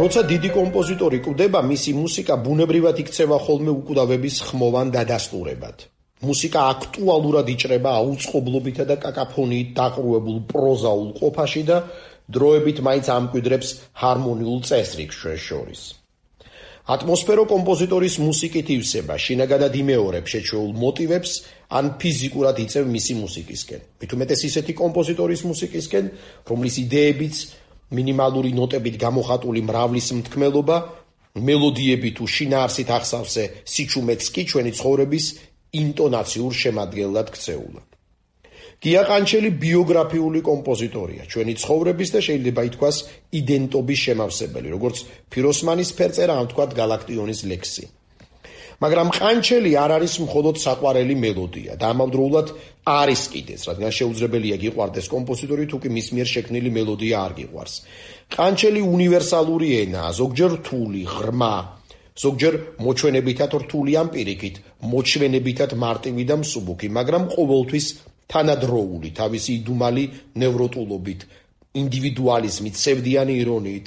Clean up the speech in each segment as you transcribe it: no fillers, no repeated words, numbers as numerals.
როცა დიდი კომპოზიტორი კვდება, მისი მუსიკა ბუნებრივად იქცევა ხოლმე უკვდავების ხმოვან დადასტურებად. მუსიკა აქტუალურად იჭრება აუწყებლობითა და კაკაფონიით დაყრუებულ პროზაულ ყოფაში და დროებით მაინც ამკვიდრებს ჰარმონიულ წესრიგს ჩვენ შორის. ატმოსფერო კომპოზიტორის მუსიკით ივსება, შინაგანად იმეორებს შეჩვეულ მოტივებს, ან ფიზიკურად იწევ მისი მუსიკისკენ. მით უმეტეს ისეთი კომპოზიტორის მუსიკისკენ, რომლის იდეებიც მინიმალური ნოტებით გამოხატული მრავლის მთქმელობა, მელოდიები თუ შინაარსით ახსავსე სიჩუმეც კი ჩვენი ცხოვრების ინტონაციურ შემადგენლად ქცეულა. გია ყანჩელი ბიოგრაფიული კომპოზიტორია, ჩვენი ცხოვრების და შეიძლება ითქვას იდენტობის შემავსებელი, როგორც ფიროსმანის ფერწერა, ამ თქვათ გალაქტიონის ლექსი. მაგრამ ყანჩელი არ არის მხოლოდ საყვარელი მელოდია და ამავდროულად არის კიდეც, რადგან შეუძლებელია გიყვარდეს კომპოზიტორი, თუ კი მის მიერ შექმნილი მელოდია არ გიყვარს. ყანჩელი უნივერსალური ენაა, ზოგჯერ რთული, ღრმა, ზოგჯერ მოჩვენებითად რთული ან პირიქით, მოჩვენებითად მარტივი და მსუბუქი, მაგრამ ყოველთვის თანადროული, თავისი იდუმალი ნევროტულობით, ინდივიდუალიზმით, სევდიანი ირონიით,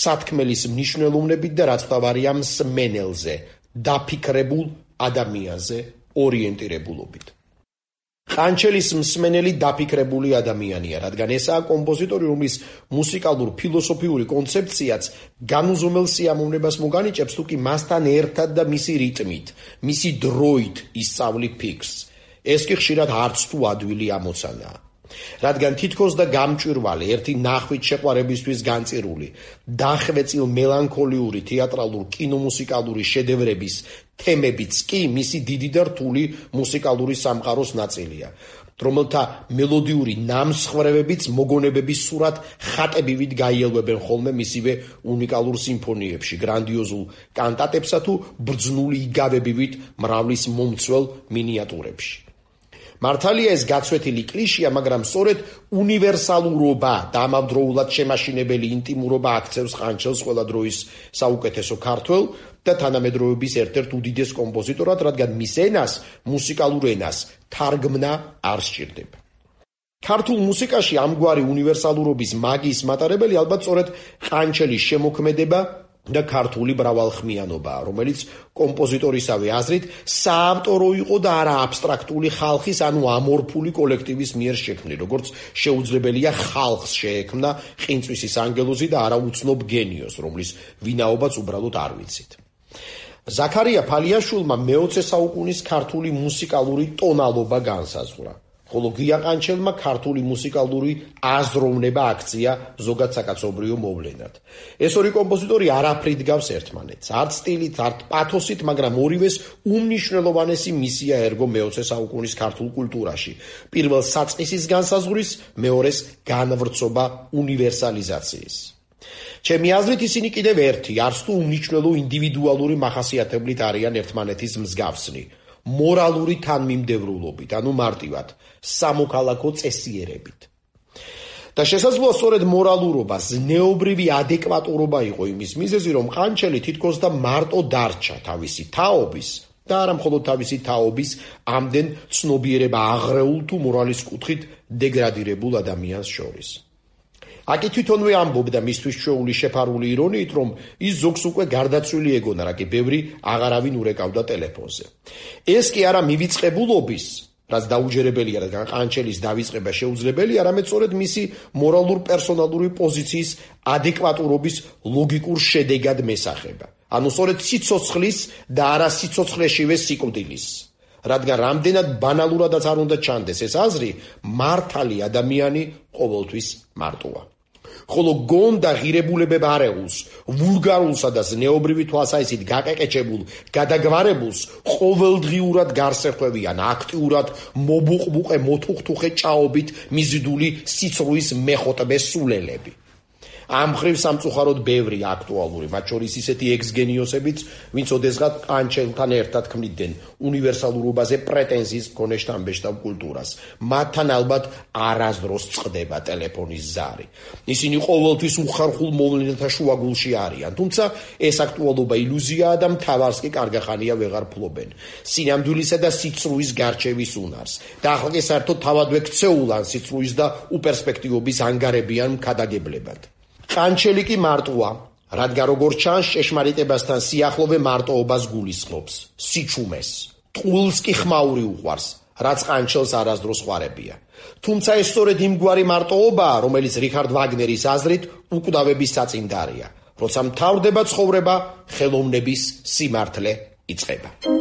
სათქმელის მნიშვნელოვნებით და რაც თავარია მსმენელზე, დაფიქრებულ ადამიანზე ორიენტირებულობით. ყანჩელის მსმენელი დაფიქრებული ადამიანია, რადგან ესაა კომპოზიტორი, რომლის მუსიკალურ ფილოსოფიური კონცეფციაც განუზომელ სიამოვნებას მოგანიჭებს, თუ კი მასთან ერთად და მისი რიტმით, მისი დროით ისწავლი ფიქრს. ეს კი ხშირად არც თუ ადვილი ამოცანაა. რადგან თითქოს და გამჭვირვალე, ერთი ნახვით შეყვარებისთვის განწირული, დახვეწილ მელანქოლიური თეატრალურ კინომუსიკალური შედევრების თემებიც კი მისი დიდი და რთული მუსიკალური სამყაროს ნაწილია, რომელთა მელოდიური ნამსხვრევებიც მოგონებების სურათ ხატებივით გაიელვებენ ხოლმე მისივე უნიკალურ სიმფონიებში, გრანდიოზულ კანტატებსა თუ ბრძნული იგავებივით მრავლის მომცველ მინიატურებში. მართალია ეს გაცვეთილი კლიშეა, მაგრამ სწორედ უნივერსალურობა და ამავდროულად შემაშინებელი ინტიმურობა აქცევს ყანჩელს ყველა დროის საუკეთესო ქართველ და თანამედროვეობის ერთ-ერთ უდიდეს კომპოზიტორად, რადგან მის ენას, მუსიკალურ ენას, თარგმნა არ სჭირდება. ქართულ მუსიკაში ამგვარი უნივერსალურობის მაგიის მატარებელი ალბათ სწორედ ყანჩელის შემოქმედება და ქართული მრავალხმიანობაა, რომელიც კომპოზიტორისავე აზრით საავტორო იყო და არა აბსტრაქტული ხალხის, ანუ ამორფული კოლექტივის მიერ შექმნილი, როგორც შეუძლებელია ხალხს შეექმნა ყინწვისის ანგელოზი და არა უცნობ გენიოს, რომლის ვინაობაც უბრალოდ არ ვიცით. ზაქარია ფალიაშვილმა მე-20 საუკუნის ქართული მუსიკალური ტონალობა განსაზღვრა, ხოლო გია ყანჩელმა ქართული მუსიკალური აზროვნება აქცია ზოგად საკაცობრიო მოვლენად. ეს ორი კომპოზიტორი არაფრით გავს ერთმანეთს, არც სტილით, არც პათოსით, მაგრამ ორივეს უმნიშვნელოვანესი მისია ერგო მე-20 საუკუნის ქართულ კულტურაში. პირველს საწყისის განსაზღვრის, მეორეს განვრცობა უნივერსალიზაციის. ჩემი აზრით ისინი კიდევ ერთი, არც თუ უმნიშვნელო ინდივიდუალური მახასიათებლით არიან ერთმანეთის მსგავსნი. მორალური თანმიმდევრულობით, ანუ მარტივად, სამოქალაქო წესიერებით. და შესაძლოა სწორედ მორალურობა, ზნეობრივი ადეკვატურობა იყო იმის მიზეზი, რომ ყანჩელი თითქოს და მარტო დარჩა თავისი თაობის და არა მხოლოდ თავისი თაობის ამდენ ცნობიერება აღრეულ თუ მორალის კუთხით დეგრადირებულ ადამიანს შორის. აკი თვითონვე ამბობდა მისთვის ჩვეული შეფარული ირონიით, რომ ის ზოგს უკვე გარდაცვლილი ეგონა, რა კი ბევრი აღარავინ ურეკავდა ტელეფონზე. ეს კი არა მივიწყებულობის, რაც დაუჯერებელია, რადგან ყანჩელის დავიწყება შეუძლებელია, არამედ სწორედ მისი მორალურ პერსონალური პოზიციის ადეკვატურობის ლოგიკურ შედეგად მესახება. ანუ სწორედ სიცოცხლის და არა სიცოცხლეშივე სიკვდილის. რადგან რამდენად ბანალურადაც არ უნდა ჩანდეს ეს აზრი, მართალი ადამიანი ყოველთვის მარტოა. ხოლო გონდა ღირებულებებ არეულს, ვულგარულსა და ზნეობრივი თვალსაჩინით გაყეყეჭებულ, გადაგვარებულს ყოველდღიურად გარსეხვევიან, აქტიურად მობუყბუყე მოთუხთუხე ჭაობით მიზიდული სიცრუის მეხოტბე სულელები. ამ მხრივ სამწუხაროდ ბევრი აქტუალური, მათ შორის ისეთი ექს-გენიოსებიც, ვინც ოდესღაც ყანჩელთან ერთად ქმნიდნენ უნივერსალურობაზე პრეტენზიის მქონე შთამბეჭდავ კულტურას. მათთან ალბათ არასდროს წყდება ტელეფონის ზარი. ისინი ყოველთვის უხერხულ მოვლენათა შუაგულში არიან, თუმცა ეს აქტუალობა ილუზიაა და მთავარს კი კარგახანია ვეღარ ფლობენ. სინამდვილისა და სიცრუის გარჩევის უნარს. და ახლა კი საერთოდ თავადვე ქცეულან სიცრუის და უპერსპექტივობის ანგარებიან მქადაგებლებად. ყანჩელი კი მარტოა, რადგან როგორც ჩანს, ჭეშმარიტებასთან სიახლოვე მარტოობას გულისხმობს, სიჩუმეს, ტყუილს კი ხმაური უყვარს, რაც ყანჩელს არასდროს ხვარებია. თუმცა ეს სწორედ იმგვარი მარტოობაა, რომელიც რიხარდ ვაგნერის აზრით უკვდავების საწინდარია. როცა მთავრდება ცხოვრება, ხელოვნების სიმართლე იწყება.